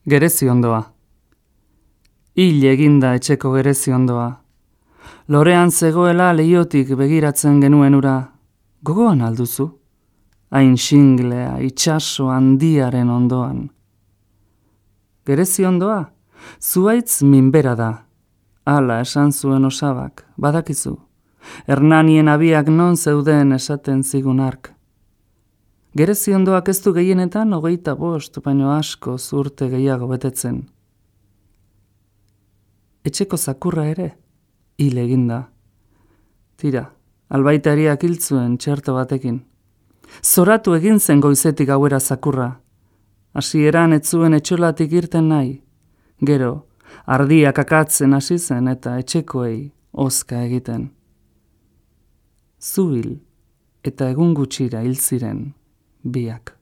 Gereziondoa. Hil eginda etxeko gereziondoa. Lorean zegoela leihotik begiratzen genuen ura. Gogoan alduzu? Hain xinglea itsaso handiaren ondoan. Gereziondoa? Zuaitz minbera da. Hala esan zuen osabak, badakizu. Hernanien abiak non zeuden esaten zigun hark. Gereziondoak ez du gehienetan 25 baino asko urte gehiago betetzen. Etxeko zakurra ere, hil eginda. Tira, albaitariak hil zuen txerto batekin. Zoratu egin zen goizetik gauera zakurra. Hasieran ez zuen etxolatik irten nahi. Gero, ardiak akatzen hasi zen eta etxekoei hozka egiten. Zu hil eta egun gutxira hil ziren biak.